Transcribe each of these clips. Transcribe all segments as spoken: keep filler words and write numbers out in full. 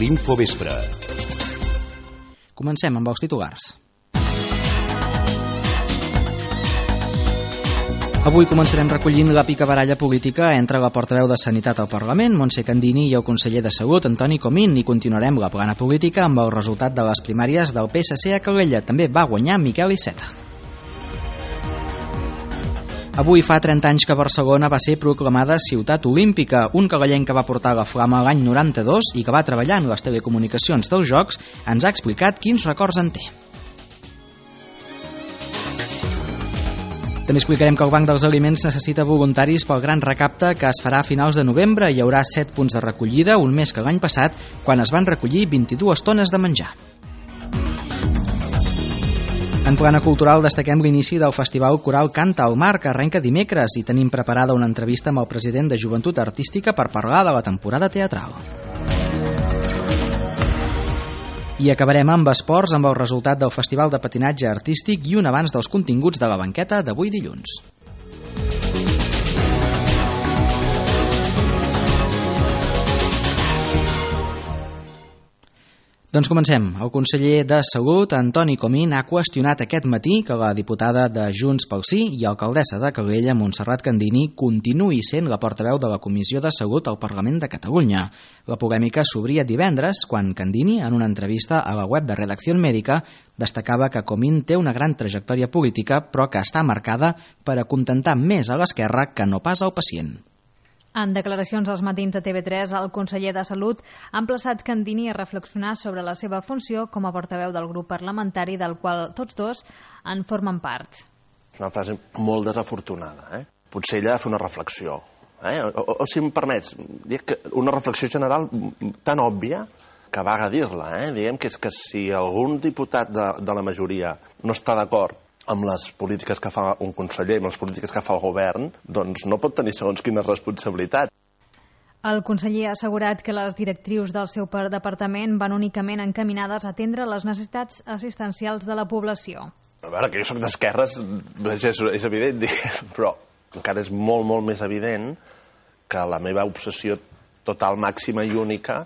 l'Infovespre. Comencem amb els titulars. Avui començarem recollint la picabaralla política entre la portaveu de Sanitat al Parlament, Montse Candini, i el conseller de Salut, Antoni Comín, i continuarem la plana política amb el resultat de les primàries del P S C a Calella. També va guanyar Miquel Iceta. Avui fa trenta anys que Barcelona va ser proclamada ciutat olímpica. Un calellenc que va portar la flama l'any noranta-dos i que va treballar en les telecomunicacions dels Jocs ens ha explicat quins records en té. També explicarem que el Banc dels Aliments necessita voluntaris pel gran recapte que es farà a finals de novembre. Hi haurà set punts de recollida, un més que l'any passat, quan es van recollir vint-i-dues tones de menjar. En plana cultural destaquem l'inici del Festival Coral Canta al Mar, que arrenca dimecres, i tenim preparada una entrevista amb el president de Joventut Artística per parlar de la temporada teatral. I acabarem amb esports, amb el resultat del Festival de Patinatge Artístic i un abans dels continguts de la banqueta d'avui dilluns. Doncs comencem. El conseller de Salut, Antoni Comín, ha qüestionat aquest matí que la diputada de Junts pel Sí i alcaldessa de Calella, Montserrat Candini, continuï sent la portaveu de la Comissió de Salut al Parlament de Catalunya. La polèmica s'obria divendres quan Candini, en una entrevista a la web de Redacció Mèdica, destacava que Comín té una gran trajectòria política, però que està marcada per acontentar més a l'esquerra que no pas al pacient. En declaracions als matins de T V tres, el conseller de Salut ha emplaçat Candini a reflexionar sobre la seva funció com a portaveu del grup parlamentari del qual tots dos en formen part. Una frase molt desafortunada, eh? Potser ella ha de fer una reflexió. Eh? O, o, o si em permets, dic que una reflexió general tan òbvia que vaga dir-la. Eh? Diguem que és que si algun diputat de, de la majoria no està d'acord amb les polítiques que fa un conseller, amb les polítiques que fa el govern, doncs no pot tenir segons quina responsabilitat. El conseller ha assegurat que les directrius del seu departament van únicament encaminades a atendre les necessitats assistencials de la població. A veure, que jo soc d'esquerres, és, és evident, però encara és molt, molt més evident que la meva obsessió total, màxima i única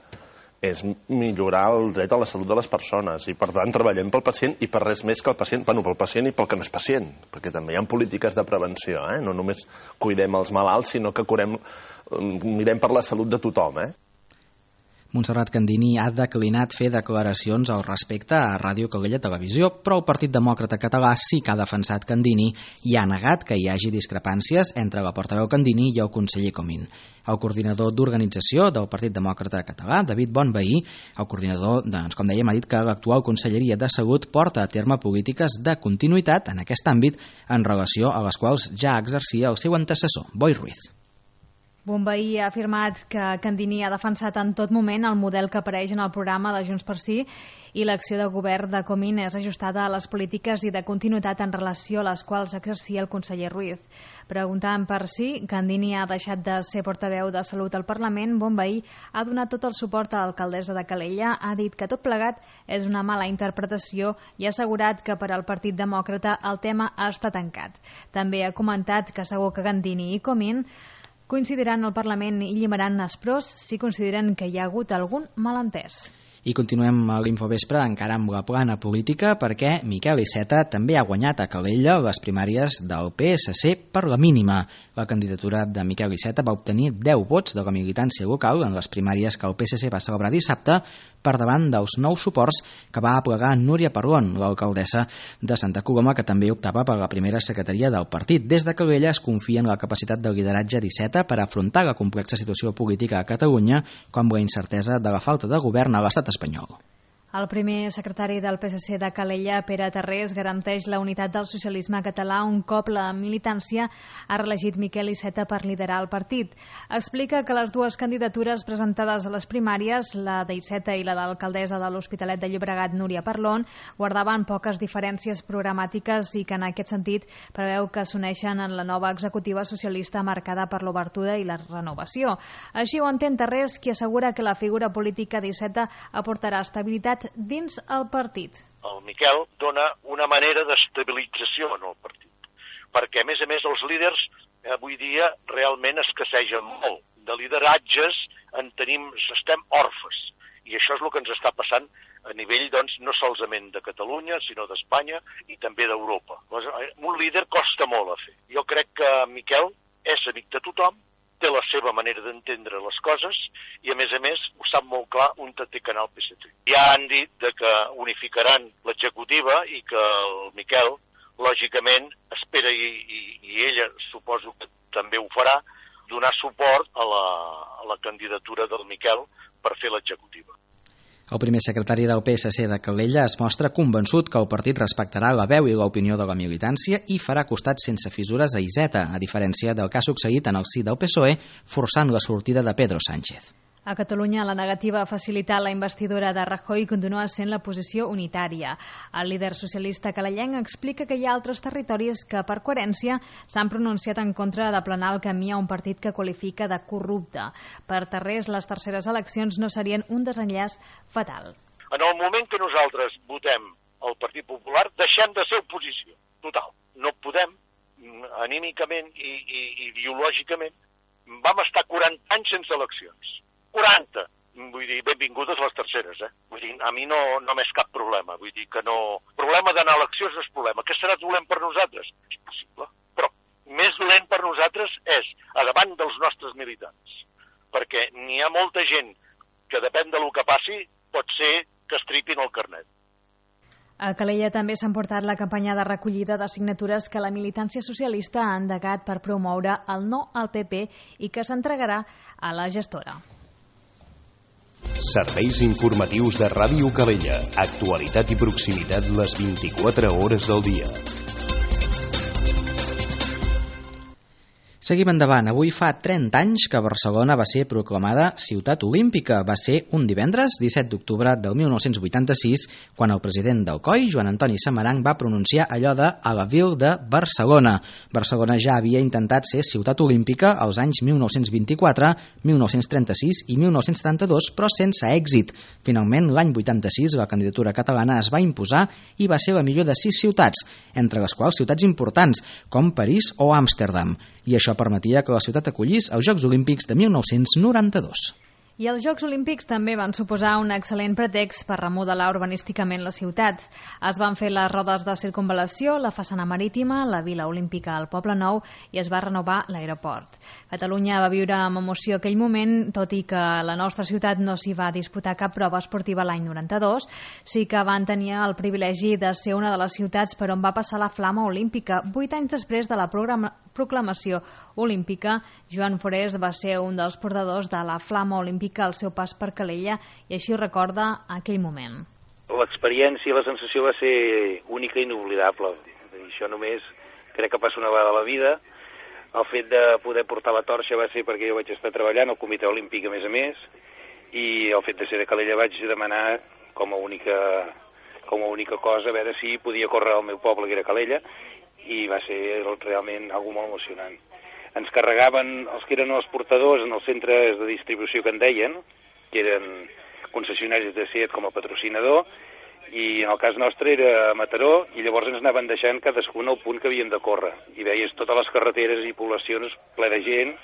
és millorar el dret a la salut de les persones i, per tant, treballem pel pacient i per res més que el pacient, bueno, pel pacient i pel que no és pacient, perquè també hi ha polítiques de prevenció, eh? No només cuidem els malalts, sinó que curem, mirem per la salut de tothom, eh? Montserrat Candini ha declinat fer declaracions al respecte a Ràdio Calella Televisió, però el Partit Demòcrata Català sí que ha defensat Candini i ha negat que hi hagi discrepàncies entre la portaveu Candini i el conseller Comín. El coordinador d'organització del Partit Demòcrata Català, David Bonvehí, el coordinador, doncs, com dèiem, ha dit que l'actual Conselleria de Salut porta a terme polítiques de continuïtat en aquest àmbit en relació a les quals ja exercia el seu antecessor, Boi Ruiz. Bonvehí ha afirmat que Candini ha defensat en tot moment el model que apareix en el programa de Junts per Sí i l'acció de govern de Comín és ajustada a les polítiques i de continuïtat en relació a les quals exercia el conseller Ruiz. Preguntant per si Candini ha deixat de ser portaveu de Salut al Parlament, Bonvehí ha donat tot el suport a l'alcaldessa de Calella, ha dit que tot plegat és una mala interpretació i ha assegurat que per al Partit Demòcrata el tema està tancat. També ha comentat que segur que Candini i Comín coincidiran al Parlament i llimaran els pros si consideren que hi ha hagut algun malentès. I continuem a l'Infovespre encara amb la plana política perquè Miquel Iceta també ha guanyat a Calella les primàries del P S C per la mínima. La candidatura de Miquel Iceta va obtenir deu vots de la militància local en les primàries que el P S C va celebrar dissabte per davant dels nous suports que va aplegar Núria Parlon, l'alcaldessa de Santa Coloma, que també optava per la primera secretaria del partit. Des de Calella es confia en la capacitat de lideratge d'Iceta per afrontar la complexa situació política a Catalunya, com la incertesa de la falta de govern a l'estat espanyol. El primer secretari del P S C de Calella, Pere Tarrés, garanteix la unitat del socialisme català un cop la militància ha reelegit Miquel Iceta per liderar el partit. Explica que les dues candidatures presentades a les primàries, la d'Iceta i la de l'alcaldessa de l'Hospitalet de Llobregat, Núria Parlon, guardaven poques diferències programàtiques i que en aquest sentit preveu que s'uneixen en la nova executiva socialista marcada per l'obertura i la renovació. Així ho entén Tarrés, qui assegura que la figura política d'Iceta aportarà estabilitat dins el partit. El Miquel dona una manera d'estabilització en el partit, perquè a més a més els líders avui dia realment escassegen molt. De lideratges en tenim, estem orfes, I això és el que ens està passant a nivell, doncs, no solament de Catalunya, sinó d'Espanya i també d'Europa. Un líder costa molt a fer. Jo crec que Miquel és amic de tothom, té la seva manera d'entendre les coses i, a més a més, ho sap molt clar un té canal P S C. Ja han dit de que unificaran l'executiva i que el Miquel, lògicament, espera, i, i, i ella suposo que també ho farà, donar suport a la, a la candidatura del Miquel per fer l'executiva. El primer secretari del P S C de Calella es mostra convençut que el partit respectarà la veu i l'opinió de la militància i farà costat sense fissures a Iceta, a diferència del que ha succeït en el si del P S O E, forçant la sortida de Pedro Sánchez. A Catalunya, la negativa a facilitar la investidura de Rajoy continua sent la posició unitària. El líder socialista calellenc explica que hi ha altres territoris que, per coherència, s'han pronunciat en contra d'aplanar el camí a un partit que qualifica de corrupte. Per Tarrés, les terceres eleccions no serien un desenllaç fatal. En el moment que nosaltres votem el Partit Popular, deixem de ser oposició. Total. No podem, anímicament i, i ideològicament, vam estar quaranta anys sense eleccions. quaranta. Vull dir, benvingudes les terceres, eh? Vull dir, a mi no, no m'és cap problema. Vull dir que no... Problema d'anar a eleccions no és problema. Què serà dolent per nosaltres? És possible. Però més dolent per nosaltres és a davant dels nostres militants. Perquè n'hi ha molta gent que depèn del que passi, pot ser que estripin el carnet. A Calella també s'ha portat la campanya de recollida de signatures que la militància socialista ha endegat per promoure el no al P P i que s'entregarà a la gestora. Serveis informatius de Ràdio Calella. Actualitat i proximitat les vint-i-quatre hores del dia. Seguim endavant. Avui fa trenta anys que Barcelona va ser proclamada ciutat olímpica. Va ser un divendres, disset d'octubre del mil nou-cents vuitanta-sis, quan el president del C O I, Joan Antoni Samaranch, va pronunciar allò de a la vil de Barcelona. Barcelona ja havia intentat ser ciutat olímpica als anys mil nou-cents vint-i-quatre, mil nou-cents trenta-sis i mil nou-cents setanta-dos, però sense èxit. Finalment, l'any vuitanta-sis, la candidatura catalana es va imposar i va ser la millor de sis ciutats, entre les quals ciutats importants, com París o Amsterdam. I això permetia que la ciutat acollís els Jocs Olímpics de mil nou-cents noranta-dos. I els Jocs Olímpics també van suposar un excel·lent pretext per remodelar urbanísticament la ciutat. Es van fer les rodes de circunvalació, la façana marítima, la Vila Olímpica al Poble Nou i es va renovar l'aeroport. Catalunya va viure amb emoció aquell moment, tot i que la nostra ciutat no s'hi va disputar cap prova esportiva l'any noranta-dos, sí que van tenir el privilegi de ser una de les ciutats per on va passar la flama olímpica. Vuit anys després de la programa proclamació olímpica, Joan Forés va ser un dels portadors de la flama olímpica al seu pas per Calella i així ho recorda aquell moment. L'experiència i la sensació va ser única i inoblidable. Això només crec que passa una vegada a la vida. El fet de poder portar la torxa va ser perquè jo vaig estar treballant al Comitè Olímpic a més a més i el fet de ser de Calella vaig demanar com a única, com a única cosa a veure si podia córrer al meu poble, que era Calella, i va ser realment algo molt emocionant. Ens carregaven els que eren els portadors en els centres de distribució que en deien, que eren concessionaris de SEAT com a patrocinador, i en el cas nostre era a Mataró, i llavors ens anaven deixant cadascun el punt que havíem de córrer. I veies totes les carreteres i poblacions ple de gent,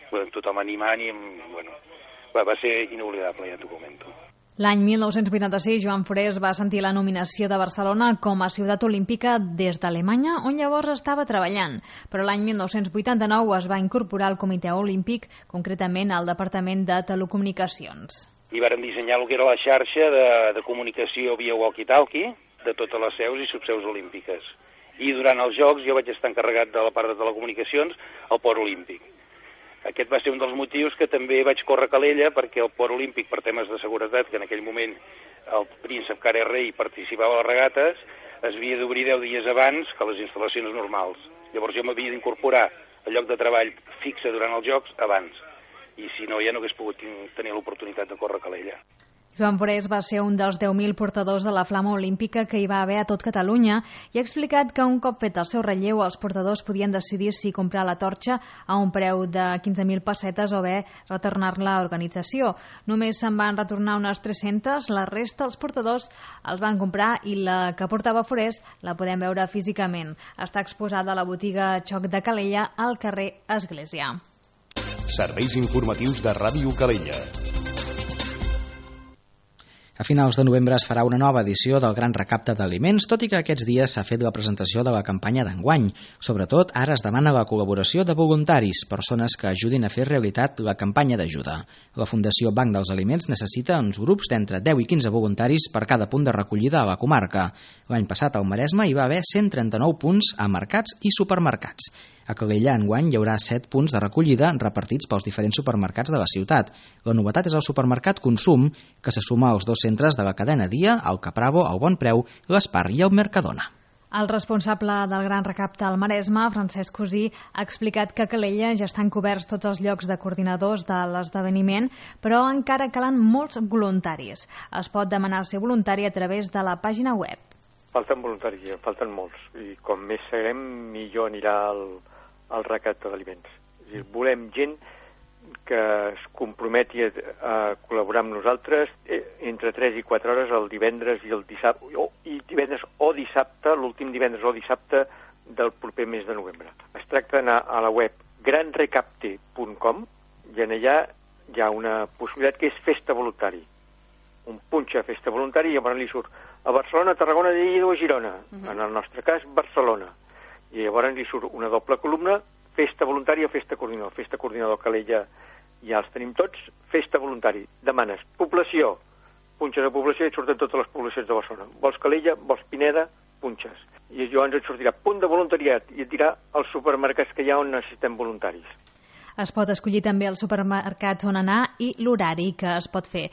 bueno, tothom animant, i bueno, va, va ser inoblidable, ja t'ho comento. L'any mil nou-cents vuitanta-sis, Joan Forés va sentir la nominació de Barcelona com a ciutat olímpica des d'Alemanya, on llavors estava treballant. Però l'any mil nou-cents vuitanta-nou es va incorporar al Comitè Olímpic, concretament al Departament de Telecomunicacions. I vàrem dissenyar el que era la xarxa de, de comunicació via walkie-talkie de totes les seus i subseus olímpiques. I durant els Jocs jo vaig estar encarregat de la part de telecomunicacions al Port Olímpic. Aquest va ser un dels motius que també vaig córrer a Calella, perquè el Port Olímpic, per temes de seguretat, que en aquell moment el príncep Carles Rei participava a les regates, es havia d'obrir deu dies abans que les instal·lacions normals. Llavors jo m'havia d'incorporar al lloc de treball fixe durant els Jocs abans, i si no ja no hagués pogut tenir l'oportunitat de córrer a Calella. Joan Forés va ser un dels deu mil portadors de la flama olímpica que hi va haver a tot Catalunya i ha explicat que un cop fet el seu relleu els portadors podien decidir si comprar la torxa a un preu de quinze mil pessetes o bé retornar-la a l'organització. Només se'n van retornar unes tres-centes, la resta els portadors els van comprar i la que portava Forés la podem veure físicament. Està exposada a la botiga Xoc de Calella al carrer Església. Serveis informatius de Ràdio Calella. A finals de novembre es farà una nova edició del Gran Recapte d'Aliments, tot i que aquests dies s'ha fet la presentació de la campanya d'enguany. Sobretot, ara es demana la col·laboració de voluntaris, persones que ajudin a fer realitat la campanya d'ajuda. La Fundació Banc dels Aliments necessita uns grups d'entre deu i quinze voluntaris per cada punt de recollida a la comarca. L'any passat al Maresme hi va haver cent trenta-nou punts a mercats i supermercats. A Calella, enguany, hi haurà set punts de recollida repartits pels diferents supermercats de la ciutat. La novetat és el supermercat Consum, que se suma als dos centres de la cadena Dia, el Capravo, el Bon Preu, l'Espar i el Mercadona. El responsable del Gran Recapte al Maresme, Francesc Cosí, ha explicat que a Calella ja estan coberts tots els llocs de coordinadors de l'esdeveniment, però encara calen molts voluntaris. Es pot demanar ser voluntari a través de la pàgina web. Falten voluntaris, falten molts, i com més serem, millor anirà el, el recapte d'aliments. Volem gent que es comprometi a, a col·laborar amb nosaltres entre tres i quatre hores el divendres i el dissabte, o, i divendres o dissabte, l'últim divendres o dissabte del proper mes de novembre. Es tracta d'anar a la web gran recapte punt com i en allà hi ha una possibilitat que és festa voluntari. Un punxa festa voluntari i llavors li surt a Barcelona, Tarragona, Lleida o Girona. Uh-huh. En el nostre cas, Barcelona. I llavors li surt una doble columna, festa voluntari o festa coordinador. Festa coordinador Calella ja els tenim tots, festa voluntari. Demanes població, punxes a població i et surten totes les poblacions de Barcelona. Vols Calella, vols Pineda, punxes. I llavors et sortirà punt de voluntariat i et dirà els supermercats que hi ha on necessitem voluntaris. Es pot escollir també el supermercat on anar i l'horari que es pot fer.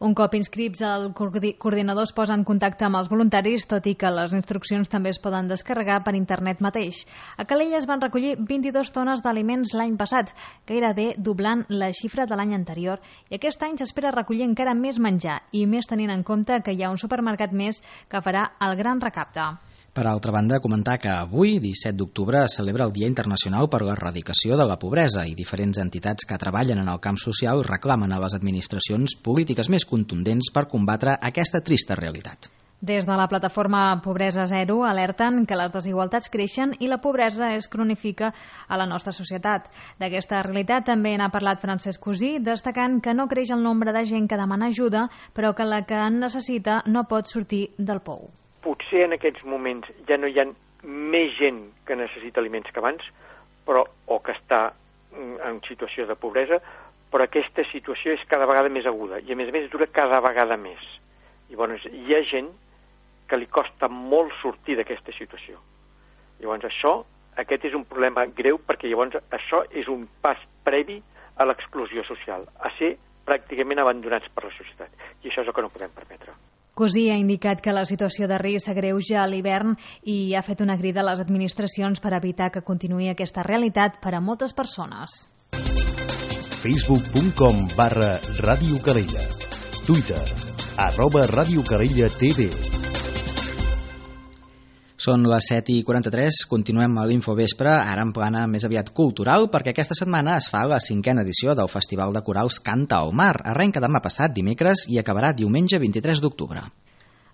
Un cop inscrits, el coordinador es posa en contacte amb els voluntaris, tot i que les instruccions també es poden descarregar per internet mateix. A Calella es van recollir vint-i-dues tones d'aliments l'any passat, gairebé doblant la xifra de l'any anterior, i aquest any s'espera recollir encara més menjar, i més tenint en compte que hi ha un supermercat més que farà el Gran Recapte. Per altra banda, comentar que avui, disset d'octubre, es celebra el Dia Internacional per l'Erradicació de la Pobresa i diferents entitats que treballen en el camp social reclamen a les administracions polítiques més contundents per combatre aquesta trista realitat. Des de la plataforma Pobresa Zero alerten que les desigualtats creixen i la pobresa es cronifica a la nostra societat. D'aquesta realitat també n'ha parlat Francesc Cosí, destacant que no creix el nombre de gent que demana ajuda, però que la que en necessita no pot sortir del pou. Potser en aquests moments ja no hi ha més gent que necessita aliments que abans, però, o que està en situació de pobresa, però aquesta situació és cada vegada més aguda i a més a més dura cada vegada més. Llavors hi ha gent que li costa molt sortir d'aquesta situació. Llavors això, aquest és un problema greu perquè llavors això és un pas previ a l'exclusió social, a ser pràcticament abandonats per la societat. I això és el que no podem permetre. Cosí ha indicat que la situació de risc s'agreuja a l'hivern i ha fet una crida a les administracions per evitar que continuï aquesta realitat per a moltes persones. facebook punt com barra Ràdio Calella. Twitter, arroba Ràdio Calella T V. Són les set i quaranta-tres, continuem a l'Infovespre, ara en plana més aviat cultural, perquè aquesta setmana es fa la cinquena edició del Festival de Corals Canta al Mar. Arrenca demà passat, dimecres, i acabarà diumenge vint-i-tres d'octubre.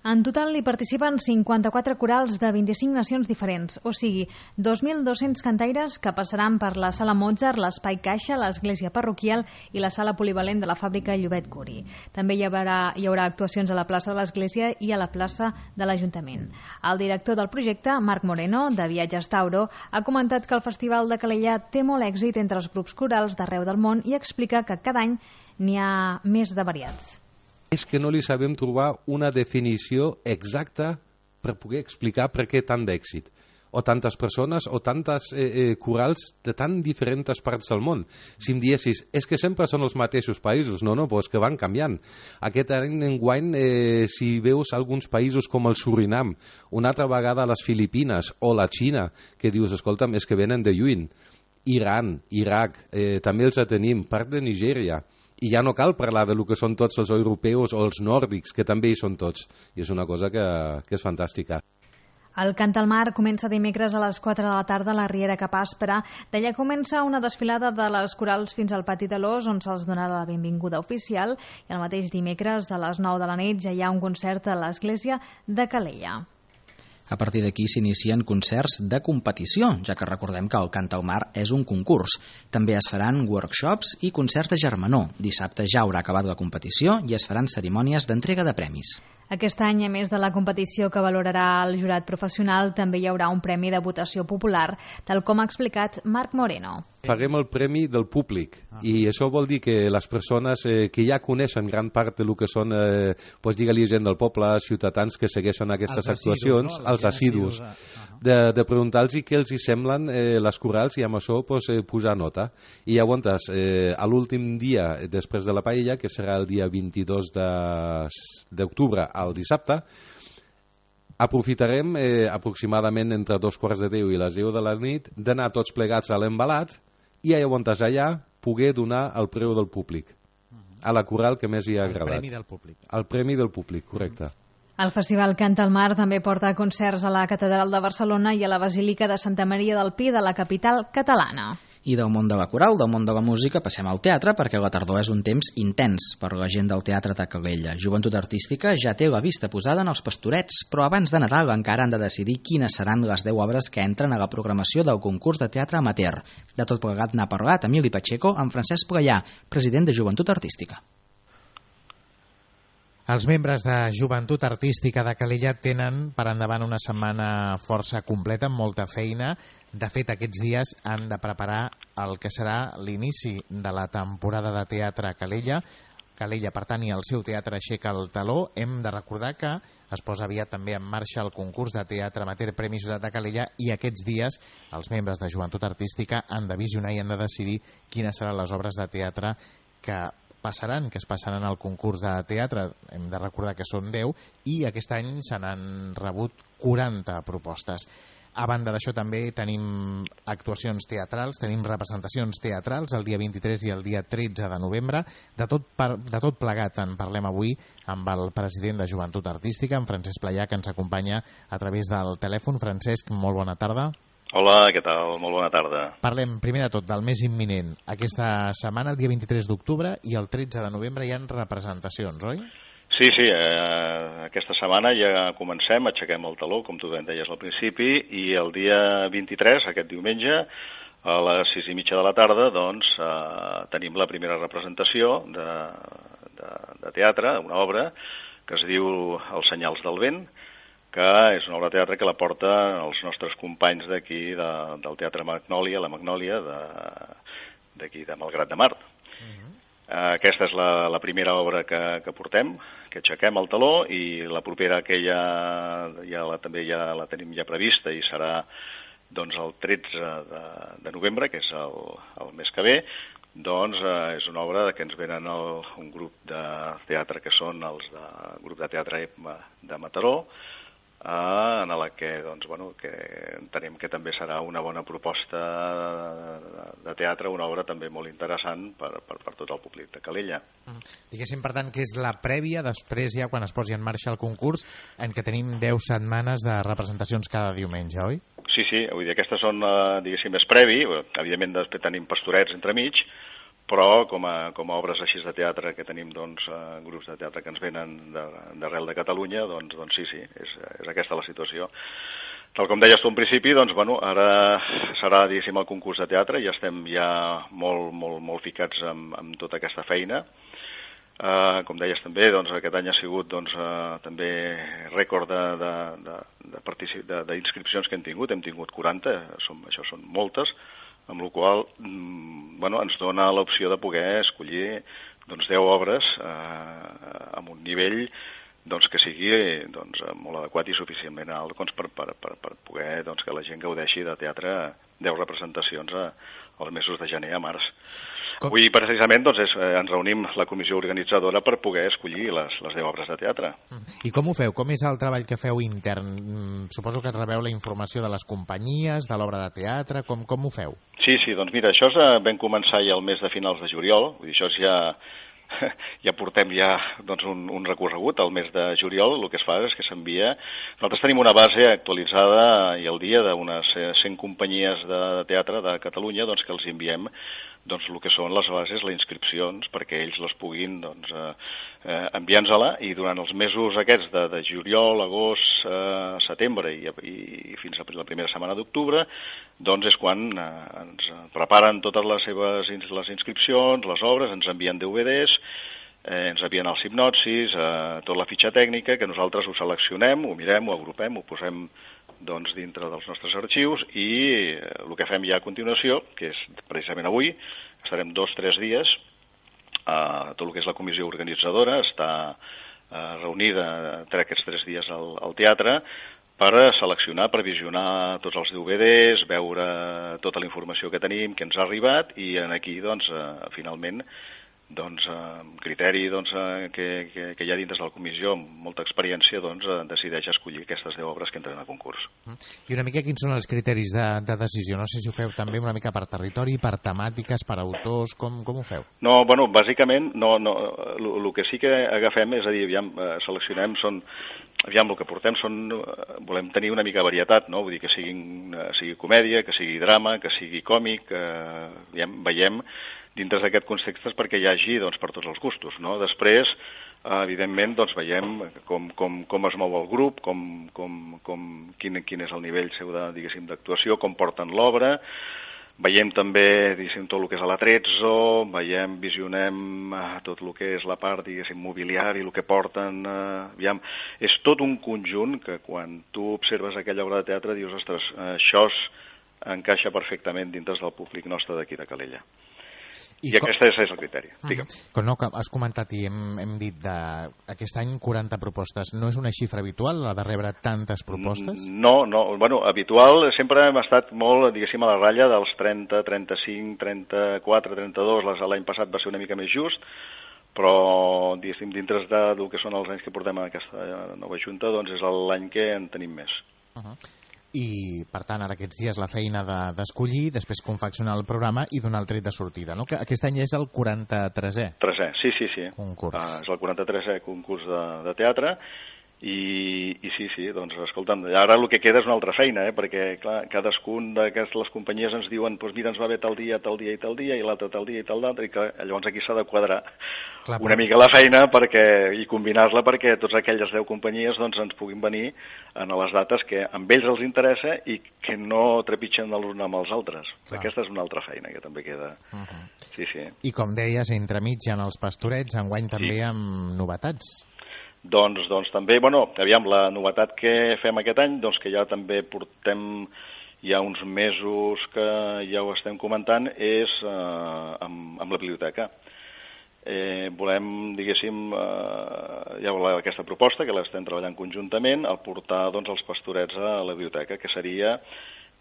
En total hi participen cinquanta-quatre corals de vint-i-cinc nacions diferents, o sigui, dos mil dos-cents cantaires que passaran per la Sala Mozart, l'Espai Caixa, l'Església Parroquial i la Sala Polivalent de la Fàbrica Llobet Curi. També hi haurà, hi haurà actuacions a la plaça de l'Església i a la plaça de l'Ajuntament. El director del projecte, Marc Moreno, de Viatges Tauro, ha comentat que el Festival de Calella té molt èxit entre els grups corals d'arreu del món i explica que cada any n'hi ha més de variats. És que no li sabem trobar una definició exacta per poder explicar per què tant d'èxit. O tantes persones o tantes eh, eh, corals de tan diferents parts del món. Si em diessis, és que sempre són els mateixos països. No, no, però és que van canviant. Aquest any enguany, eh, si veus alguns països com el Surinam, una altra vegada les Filipines o la Xina, que dius, escolta'm, és que venen de lluny. Iran, Iraq, eh, també els tenim, part de Nigèria. I ja no cal parlar de lo que són tots els europeus o els nòrdics, que també hi són tots. I és una cosa que, que és fantàstica. El Cant al Mar comença dimecres a les quatre de la tarda a la Riera Cap Aspre. D'allà comença una desfilada de les corals fins al Pati de l'Os, on se'ls donarà la benvinguda oficial. I el mateix dimecres, a les nou de la nit, ja hi ha un concert a l'Església de Calella. A partir d'aquí s'inicien concerts de competició, ja que recordem que el Canta al Mar és un concurs. També es faran workshops i concerts de germanor. Dissabte ja haurà acabat la competició i es faran cerimònies d'entrega de premis. Aquest any, a més de la competició que valorarà el jurat professional, també hi haurà un premi de votació popular, tal com ha explicat Marc Moreno. Farem el premi del públic i això vol dir que les persones eh, que ja coneixen gran part del que són, eh, pues, digue-li gent del poble, ciutadans que segueixen aquestes els actuacions, assidus, no? els assidus, de, de preguntar-los què els hi semblen eh, les corals i amb això pues, eh, posar nota. I llavors, eh, a l'últim dia després de la paella, que serà el dia vint-i-dos d'octubre al dissabte, aprofitarem eh, aproximadament entre dos quarts de deu i les deu de la nit d'anar tots plegats a l'embalat i llavors allà poder donar el preu del públic a la coral que més hi ha agradat. El premi del públic. El premi del públic, correcte. El Festival Canta al Mar també porta concerts a la Catedral de Barcelona i a la Basílica de Santa Maria del Pi de la capital catalana. I del món de la coral, del món de la música, passem al teatre, perquè la tardor és un temps intens per la gent del Teatre de Calella. Joventut Artística ja té la vista posada en els Pastorets, però abans de Nadal encara han de decidir quines seran les deu obres que entren a la programació del concurs de teatre amateur. De tot plegat n'ha parlat Emili Pacheco amb Francesc Playà, president de Joventut Artística. Els membres de Joventut Artística de Calella tenen per endavant una setmana força completa, amb molta feina. De fet, aquests dies han de preparar el que serà l'inici de la temporada de teatre a Calella. Calella, per tant, i el seu teatre aixeca el taló. Hem de recordar que es posa aviat també en marxa el concurs de teatre amateur Premi Ciutat de Calella i aquests dies els membres de Joventut Artística han de visionar i han de decidir quines seran les obres de teatre que passaran, que es passaran al concurs de teatre. Hem de recordar que són deu i aquest any se n'han rebut quaranta propostes. A banda d'això també tenim actuacions teatrals, tenim representacions teatrals el dia vint-i-tres i el dia tretze de novembre. De tot, per, de tot plegat en parlem avui amb el president de Joventut Artística, en Francesc Playà, que ens acompanya a través del telèfon. Francesc, molt bona tarda. Hola, què tal? Molt bona tarda. Parlem primer de tot del més imminent. Aquesta setmana, el dia vint-i-tres d'octubre i el tretze de novembre hi ha representacions, oi? Sí, sí, eh, aquesta setmana ja comencem, aixequem el taló, com tu deies al principi, i el dia vint-i-tres, aquest diumenge, a les sis i mitja de la tarda, doncs, eh, tenim la primera representació de, de, de teatre, una obra que es diu Els senyals del vent, que és una obra de teatre que la porta els nostres companys d'aquí, de, del Teatre Magnòlia, la Magnòlia, d'aquí de, de Malgrat de Mar. Uh-huh. Aquesta és la, la primera obra que, que portem, que aixequem el taló, i la propera que ja, ja la, també ja la tenim ja prevista i serà doncs, el tretze de, de novembre, que és el, el mes que ve. Doncs eh, és una obra que ens venen el, un grup de teatre que són els de, grup de teatre de Mataró, Uh, en la que, doncs, bueno, que entenem que també serà una bona proposta de, de teatre, una obra també molt interessant per, per, per tot el públic de Calella. Mm. Diguéssim, per tant, que és la prèvia, després ja quan es posi en marxa el concurs, en què tenim deu setmanes de representacions cada diumenge, oi? Sí, sí, vull dir, aquestes són, uh, diguéssim, més previ, evidentment després tenim pastorets entremig, però com a, com a obres així de teatre que tenim, doncs, eh, grups de teatre que ens venen d'arrel de, de Catalunya, doncs, doncs sí, sí, és, és aquesta la situació. Tal com deies tu en principi, doncs, bueno, ara serà, diguéssim, el concurs de teatre, ja estem ja molt, molt, molt ficats amb, amb tota aquesta feina. Uh, com deies també, doncs, aquest any ha sigut doncs, uh, també rècord d'inscripcions que hem tingut, hem tingut quaranta, som, això són moltes, amb la qual mm, bueno, ens dona l'opció de poder escollir doncs, deu obres eh, amb un nivell doncs, que sigui doncs, molt adequat i suficientment alt doncs, per, per, per, per poder doncs, que la gent gaudeixi de teatre deu representacions a, als mesos de gener a març. Com? Avui, precisament, doncs, és, eh, ens reunim la comissió organitzadora per poder escollir les, les deu obres de teatre. I com ho feu? Com és el treball que feu intern? Suposo que rebeu la informació de les companyies, de l'obra de teatre, com, com ho feu? Sí, sí, doncs mira, això és, vam començar ja el mes de finals de juliol, vull dir, això és ja... ja portem ja doncs, un, un recorregut al mes de juliol. El que es fa és que s'envia... Nosaltres tenim una base actualitzada i al dia d'unes cent companyies de teatre de Catalunya doncs, que els enviem doncs, el que són les bases, les inscripcions, perquè ells les puguin doncs, eh, eh, enviar-nos-la, i durant els mesos aquests de, de juliol, agost, eh, setembre i, i fins a la primera setmana d'octubre, doncs és quan eh, ens preparen totes les seves les inscripcions, les obres, ens envien D V Ds, eh, ens envien els hipnotsis, eh, tota la fitxa tècnica, que nosaltres ho seleccionem, ho mirem, ho agrupem, ho posem doncs, dintre dels nostres arxius, i eh, el que fem ja a continuació, que és precisament avui, estarem dos o tres dies, eh, tot el que és la comissió organitzadora està eh, reunida entre aquests tres dies al, al teatre, per seleccionar, per visionar tots els D V Ds, veure tota la informació que tenim, que ens ha arribat, i aquí, doncs, eh, finalment, doncs, amb criteri doncs, que, que, que hi ha dins de la comissió, amb molta experiència, doncs, decideix escollir aquestes deu obres que entren a concurs. I una mica quins són els criteris de, de decisió? No sé si ho feu també una mica per territori, per temàtiques, per autors, com, com ho feu? No, bueno, bàsicament, no, no, el que sí que agafem és a dir, aviam, seleccionem, són, aviam, el que portem són, volem tenir una mica de varietat, no? Vull dir que siguin, sigui comèdia, que sigui drama, que sigui còmic, que aviam, veiem dintre d'aquest context perquè hi hagi doncs, per tots els gustos. No? Després, evidentment, doncs, veiem com, com, com es mou el grup, com, com, com, quin, quin és el nivell seu de, diguéssim, d'actuació, com porten l'obra. Veiem també, diguéssim, tot el que és l'atrezzo, veiem, visionem tot el que és la part, diguéssim, mobiliari, el que porten. Eh, aviam, és tot un conjunt que quan tu observes aquella obra de teatre dius, ostres, això encaixa perfectament dintre del públic nostre d'aquí de Calella. I, I aquest és el criteri. Digue'm. Com no, has comentat i hem, hem dit de, aquest any quaranta propostes. No és una xifra habitual, la de rebre tantes propostes? No, no. Bueno, habitual sempre hem estat molt, diguéssim, a la ratlla dels trenta, trenta-cinc, trenta-quatre, trenta-dos. L'any passat va ser una mica més just, però, diguéssim, dintre de, del que són els anys que portem a aquesta nova junta, doncs és l'any que en tenim més. Uh -huh. I, per tant, ara aquests dies la feina d'escollir, de, després confeccionar el programa i donar el tret de sortida, no? Que aquest any és el quaranta-tresè. Tresè, sí, sí, sí. Concurs. Ah, és el quaranta-tresè concurs de, de teatre, i, i sí, sí, doncs, escolta'm, ara el que queda és una altra feina, eh? Perquè, clar, cadascun d'aquestes les companyies ens diuen, doncs mira, ens va bé tal dia, tal dia i tal dia, i l'altre tal dia i tal d'altre, i que llavors aquí s'ha de quadrar clar, una mica la feina perquè, i combinar-la perquè tots aquelles deu companyies doncs, ens puguin venir en les dates que amb ells els interessa i que no trepitgen l'un amb els altres. Clar. Aquesta és una altra feina que també queda. Uh -huh. Sí, sí. I com deies, entremig en els pastorets, enguany també sí. amb novetats. Doncs, doncs també, bueno, aviam, la novetat que fem aquest any, doncs que ja també portem ja uns mesos que ja ho estem comentant, és eh, amb, amb la biblioteca. Eh, volem, diguéssim, eh, ja volem aquesta proposta, que l'estem treballant conjuntament, el portar doncs, els pastorets a la biblioteca, que seria,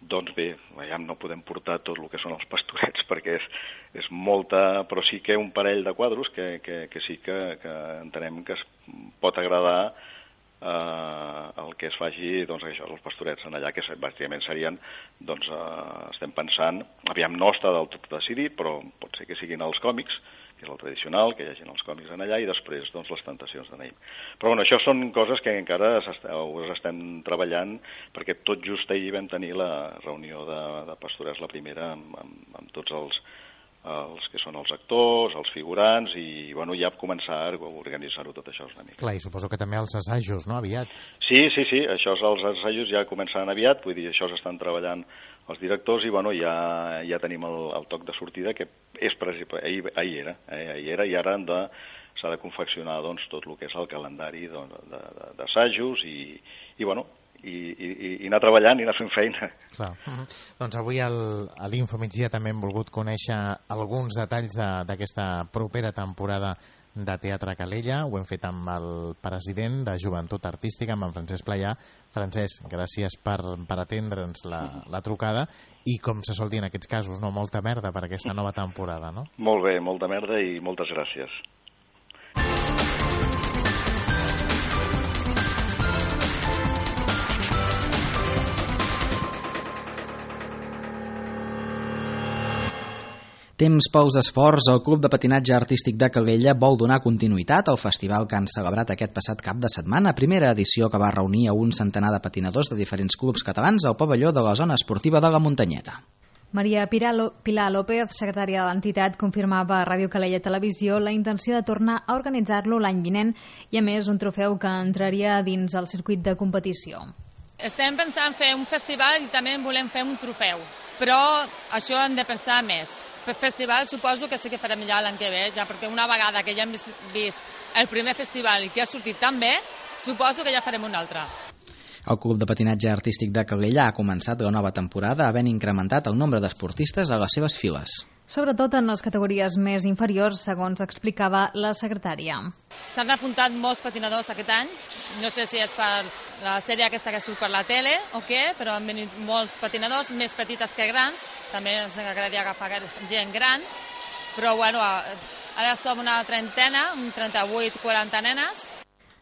doncs bé, ja no podem portar tot el que són els pastorets perquè és, és molta, però sí que un parell de quadros que, que, que sí que, que entenem que es pot agradar eh, el que es faci, doncs això, els pastorets en allà, que bàsicament serien, doncs eh, estem pensant, aviam no està del tot decidit, però pot ser que siguin els còmics, que és el tradicional, que hi hagi els còmics en allà, i després doncs, les tentacions de Naïm. Però bueno, això són coses que encara us estem treballant, perquè tot just ahir vam tenir la reunió de, de pastorets, la primera, amb, amb, amb tots els, els que són els actors, els figurants, i bueno, ja començar a organitzar-ho tot això una mica. Clar, i suposo que també els assajos, no?, aviat. Sí, sí, sí, això els assajos ja començaran aviat, vull dir, això s'estan treballant els directors i bueno, ja, ja tenim el, el toc de sortida que és ahir, ahir era, eh, ahir era i ara de, s'ha de confeccionar doncs, tot el que és el calendari d'assajos i, i bueno, i, i, i anar treballant i anar fent feina. Clar. Uh-huh. Doncs avui al, a l'Info Migdia també hem volgut conèixer alguns detalls d'aquesta de, propera temporada de Teatre Calella. Ho hem fet amb el president de Joventut Artística, amb en Francesc Playà. Francesc, gràcies per, per atendre'ns la, la trucada i, com se sol dir en aquests casos, no, molta merda per aquesta nova temporada, no? Molt bé, molta merda i moltes gràcies. Temps pels esports, el Club de Patinatge Artístic de Calella vol donar continuïtat al festival que han celebrat aquest passat cap de setmana, primera edició que va reunir a un centenar de patinadors de diferents clubs catalans al pavelló de la zona esportiva de la Muntanyeta. Maria Pilar López, secretària de l'entitat, confirmava a Ràdio Calella Televisió la intenció de tornar a organitzar-lo l'any vinent i, a més, un trofeu que entraria dins el circuit de competició. Estem pensant fer un festival i també volem fer un trofeu, però això hem de pensar més. Per festival suposo que sí que farem ja l'any que ve, ja perquè una vegada que ja hem vist el primer festival i que ha sortit tan bé, suposo que ja farem un altre. El Club de Patinatge Artístic de Calella ha començat la nova temporada havent incrementat el nombre d'esportistes a les seves files. Sobretot en les categories més inferiors, segons explicava la secretària. S'han apuntat molts patinadors aquest any, no sé si és per la sèrie aquesta que surt per la tele o què, però han venit molts patinadors, més petites que grans, també ens agradaria agafar gent gran, però bueno, ara som una trentena, un trenta-vuit quaranta nenes.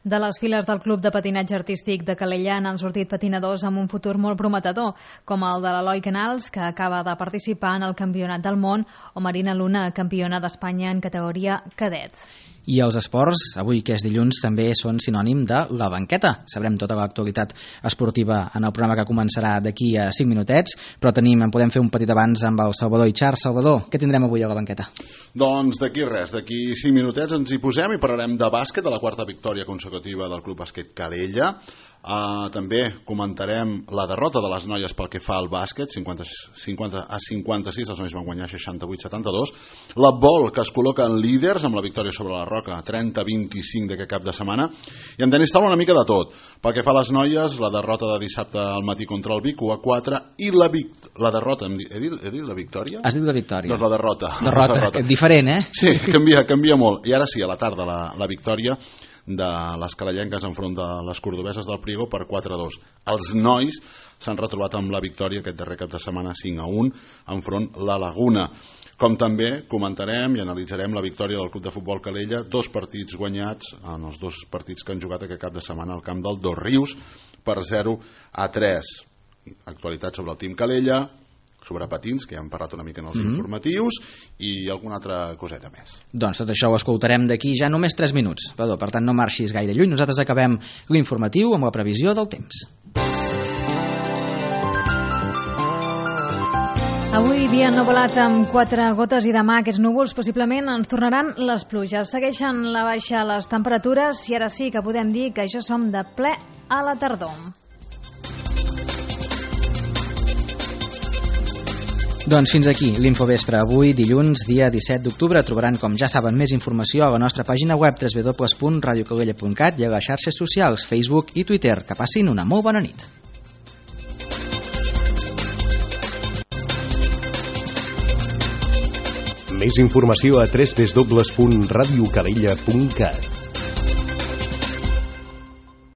De les files del Club de Patinatge Artístic de Calella n'han sortit patinadors amb un futur molt prometedor, com el de l'Eloi Canals, que acaba de participar en el Campionat del Món, o Marina Luna, campiona d'Espanya en categoria cadet. I els esports, avui que és dilluns, també són sinònim de la banqueta. Sabrem tota l'actualitat esportiva en el programa que començarà d'aquí a cinc minutets, però tenim, en podem fer un petit abans amb el Salvador Itxar. Salvador, què tindrem avui a la banqueta? Doncs d'aquí res, d'aquí cinc minutets ens hi posem i parlarem de bàsquet, de la quarta victòria consecutiva del Club Bàsquet Calella. Uh, també comentarem la derrota de les noies pel que fa al bàsquet, cinquanta, cinquanta a cinquanta-sis, els nois van guanyar seixanta-vuit a setanta-dos. La vol que es col·loca en líders amb la victòria sobre la Roca, trenta a vint-i-cinc d'aquest cap de setmana. I en tenis taula una mica de tot. Pel que fa a les noies, la derrota de dissabte al matí contra el Vic, u a quatre, i la, vic... la derrota, he dit, he dit la victòria? Has dit la victòria. Doncs la derrota. Derrota, la derrota. Diferent, eh? Sí, canvia, canvia molt. I ara sí, a la tarda la, la victòria de les calellenques enfront de les cordobeses del Priego per quatre a dos. Els nois s'han retrobat amb la victòria aquest darrer cap de setmana cinc a un enfront la Laguna. Com també comentarem i analitzarem la victòria del Club de Futbol Calella, dos partits guanyats en els dos partits que han jugat aquest cap de setmana al camp del Dos Rius per zero a tres. Actualitat sobre el Team Calella, sobre patins, que ja hem parlat una mica en els mm-hmm. informatius, i alguna altra coseta més. Doncs tot això ho escoltarem d'aquí ja només tres minuts. Perdó, per tant, no marxis gaire lluny. Nosaltres acabem l'informatiu amb la previsió del temps. Avui dia ennuvolat amb quatre gotes i demà aquests núvols possiblement ens tornaran les pluges. Segueixen la baixa les temperatures i ara sí que podem dir que ja som de ple a la tardor. Doncs fins aquí l'Infovespre. Avui, dilluns, dia disset d'octubre, trobaran, com ja saben, més informació a la nostra pàgina web w w w punt radio calella punt cat i a les xarxes socials Facebook i Twitter. Que passin una molt bona nit. Més informació a w w w punt radio calella punt cat.